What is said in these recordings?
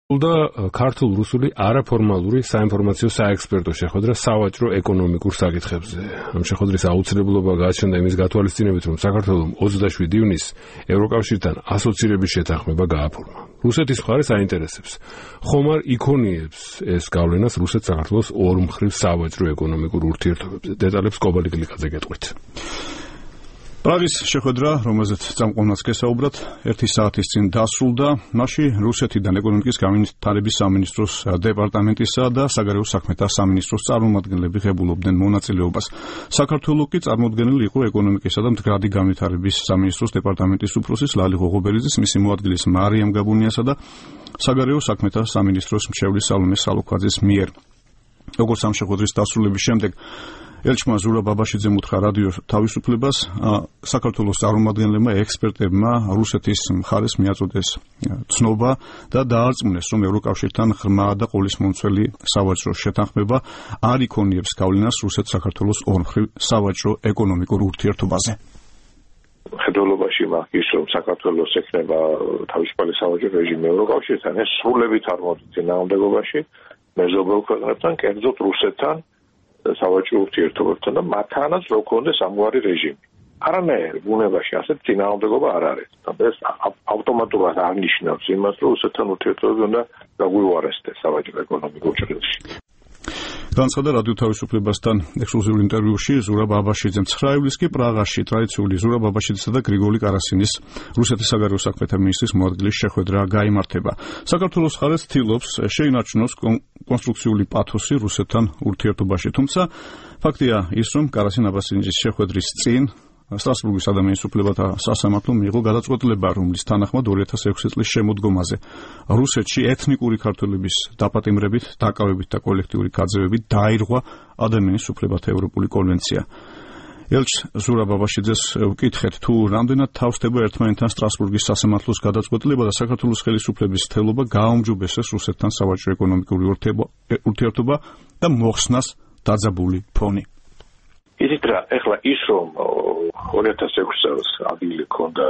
და ქართულ-რუსული არაფორმალური საინფორმაციო საექსპერტო შეხვედრა სავაჭრო ეკონომიკურ საკითხებზე. ამ შეხვედრის აუცილებლობა გააჩნდა იმის გათვალისწინებით, რომ საქართველოს 27 ივნისს ევროკავშირთან ასოცირების შეთანხმება გააფორმა. რუსეთის მხარეს აინტერესებს. ხომ არ იქონიებს ეს გავლენას რუსეთ-საქართველოს ორმხრივ სავაჭრო ეკონომიკურ ურთიერთობებზე? დეტალებს კობალი გლიკაძე გეტყვით. პრაღის შეხვედრა, რომელზეც წამყვანაც გესაუბრათ, 1 საათის წინ დასრულდა. მასში რუსეთიდან ეკონომიკის განვითარების სამინისტროს დეპარტამენტისა და საგარეო საქმეთა სამინისტროს წარმომადგენლები ღებულობდნენ მონაწილეობას. საქართველოს კი წარმოდგენილი იყო ეკონომიკისა და მდგრადი განვითარების სამინისტროს დეპარტამენტის უფროსის ლალი ღოღობერიძის, მისი მოადგილის მარიამ გაბუნიასა და საგარეო საქმეთა სამინისტროს მრჩევლის სალომე სალოქვაძის მიერ. როგორც ამ შეხვედრის დასრულების შემდეგ ელჩმა ზურაბ ბაბაშიძემ უთხრა რადიო თავისუფლებას, საქართველოს წარმომადგენლებმა ექსპერტებმა რუსეთის მხარეს მიაწოდეს ცნობა და დაარწმუნეს, რომ ევროკავშირთან ღრმა და ყოლისმომცველი სავაჭრო შეთანხმება არ იქონიებს გავლენას რუსეთ-საქართველოს ორმხრივ სავაჭრო ეკონომიკურ ურთიერთობაზე. ხედველობაში მაგის რომ საქართველოს ექნება თავისუფალი სავაჭრო რეჟიმი ევროკავშირთან, ეს სრულებით არ მოდის წინააღმდეგობაში მეზობელ ქვეყნებთან, კერძოდ რუსეთთან სავაჭრო ურთიერთობებთან და მათთანაც რო ქონდეს ამგვარი რეჟიმი. არანაირი ბუნებაში ასეთ წინააღმდეგობა არ არის. ეს ავტომატურად აღნიშნავს იმას, რომ რუსეთთან ურთიერთობები უნდა გაგვივარესდეს სავაჭრო ეკონომიკურ ჭრილში. განცხადა რადიო თავისუფლებასთან ექსკლუზიურ ინტერვიუში ზურაბ ბაბაშიძემ. 9 ივლისს კი პრაღაში ტრადიციული ზურაბ ბაბაშიძისა და გრიგოლი კარასინის რუსეთის საგარეო საქმეთა მინისტრის მოადგილის შეხვედრა გაიმართება. საქართველოს მხარეს ცდილობს შეინარჩუნოს კონსტრუქციული პათოსი რუსეთთან ურთიერთობაში, თუმცა ფაქტია ის, რომ კარასინ-აბასიძის შეხვედრის წინ სტრასბურგის ადამიანის უფლებათა სასამართლომ მიიღო გადაწყვეტილება, რომლის თანახმად 2006 წლის შემოდგომაზე რუსეთში ეთნიკური ქართველების დაპატიმრებით, დაკავებით და კოლექტიური გაძევებით დაირღვა ადამიანის უფლებათა ევროპული კონვენცია. ელჩ ზურაბ ბაბაშიძეს ვკითხეთ, თუ რამდენად თავსდება ერთმანეთთან სტრასბურგის სასამართლოს გადაწყვეტილება და საქართველოს ხელისუფლების ცდილობა გააუმჯობესეს რუსეთთან სავაჭრო ეკონომიკური ურთიერთობა და მოხსნას დაძაბული ფონი. ისიც რა, ეხლა ის რომ 2006 წელს ადგილი ქონდა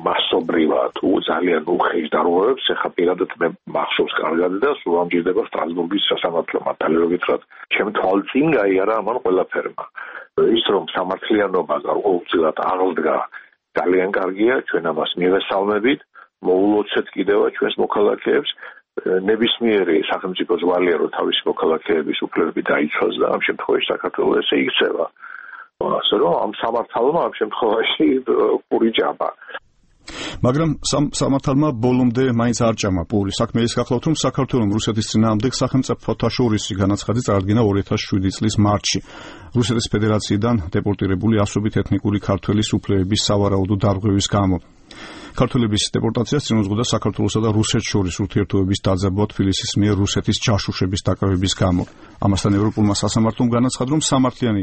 მასობრივად ძალიან უხეშ დარღვევებს, ეხლა პირადად მე მახსოვს კარგად და სულ ამჯერდება სტრასბურგის სასამართლო მართლიერობით, რა ჩემ თვალწინ გაიარა ამან ყველაფერმა. ის რომ სამართლიანობა გაუძლად აღდგა ძალიან კარგია, ჩვენ ამას მივესალმებით, მოულოცეთ კიდევ ჩვენს მოქალაქეებს, ნებისმიერი სახელმწიფო ზვალია, რომ თავისი მოქალაქეების უფლებები დაიცვას და ამ შემთხვევაში საქართველოს ესე იქცევა. ასე რომ ამ სამართალმა ამ შემთხვევაში პური ჭამა. მაგრამ სამართალმა ბოლომდე მაინც არ ჭამა პური. საქმე ის გახლავთ, რომ საქართველოს რუსეთის წინააღმდეგ სახელმწიფოთა შორისი განაცხადი წარადგინა 2007 წლის მარტში. რუსეთის ფედერაციიდან დეპორტირებული ასობით ეთნიკური ქართველის უფლებების სავარაუდო დარღვევის გამო. ქართველების დეპორტაციას წინ უძღოდა საქართველოსა და რუსეთს შორის ურთიერთობების დაძაბვა თბილისის მიერ რუსეთის ჯაშუშების დაკავების გამო. ამასთან ევროპულმა სასამართლომ განაცხადა, რომ სამართლიანი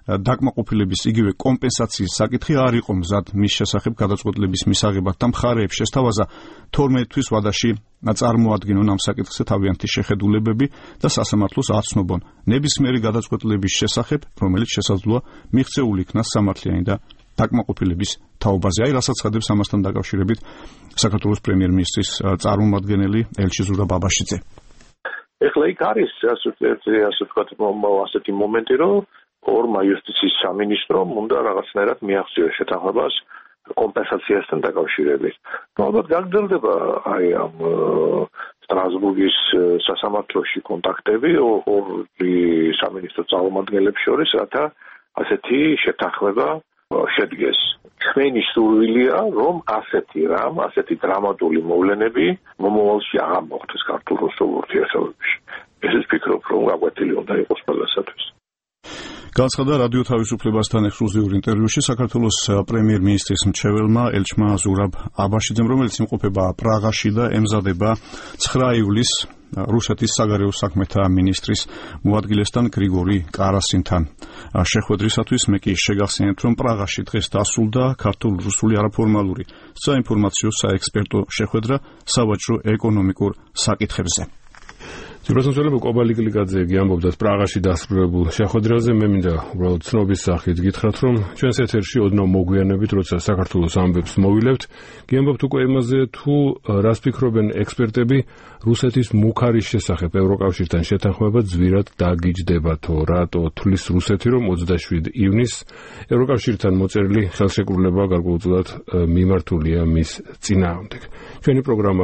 დაკმაყოფილების იგივე კომპენსაციის საკითხი არ იყო მზად მის შესახებ გადაწყვეტილების მისაღებად და მხარეებს შესთავაზა 12 თვის ვადაში წარმოადგინონ ამ საკითხზე თავიანთი შეხედულებები და სასამართლოს აცნობონ ნებისმიერი გადაწყვეტილების შესახებ, რომელიც შესაძლოა მიღწეული იქნას სამართლიანი და დაკმაყოფილების თაობაზე. აი რასაც ხედავს ამასთან დაკავშირებით საქართველოს პრემიერ-მინისტრის წარმომადგენელი ელჩი ზურაბ ბაბაშიძე. ეხლა იქ არის ასეთი მომენტი, რომ ორმა იუსტიციის სამინისტრომ უნდა რაღაცნაირად მიაღწიოს შეთანხმებას კომპენსაციასთან დაკავშირებით. ალბათ გაგრძელდება აი ამ სტრასბურგის სასამართლოში კონტაქტები ორი სამინისტროს წარმომადგენლებს შორის, რათა ასეთი შეთანხმება შედგეს. ჩვენი სურვილია, რომ ასეთი დრამატული მოვლენები მომავალში აღარ მოხდეს ქართულ-რუსულ ურთიერთობებში. ესეც ვფიქრობ, რომ გაკვეთილი უნდა იყოს ყველასათვის. განცხადა რადიო თავისუფლებასთან ექსკლუზიურ ინტერვიუში საქართველოს პრემიერ-მინისტრის მრჩეველმა ელჩმა ზურაბ აბაშიძემ, რომელიც იმყოფება პრაღაში და ემზადება 9 ივლისს რუსეთის საგარეო საქმეთა მინისტრის მოადგილესთან გრიგოლი კარასინთან შეხვედრისათვის. მე კი შეგახსენებთ, რომ პრაღაში დღეს დასრულდა ქართულ-რუსული არაფორმალური საინფორმაციო საექსპერტო შეხვედრა სავაჭრო ეკონომიკურ საკითხებზე. ძიროსმცველები კობალიკლიკაძე გიამბობდა პრაღაში დასრულებულ შეხვედრაზე. მე მინდა უბრალოდ ცნობის სახით გითხრათ, რომ ჩვენს ეთერში ოდნავ მოგვიანებით, როცა საქართველოს ამბებს მოვილებთ, გიამბობთ უკვე იმაზე, თუ რას ფიქრობენ ექსპერტები რუსეთის მუქარის შესახებ ევროკავშირთან შეთანხმება ძვირად დაგიჯდებათო. რატო თვლის რუსეთი, რომ 27 ივნისს ევროკავშირთან მოწერილი ხელშეკრულება გარკვეულწილად მიმართულია მის წინააღმდეგ. ჩვენი პროგრამა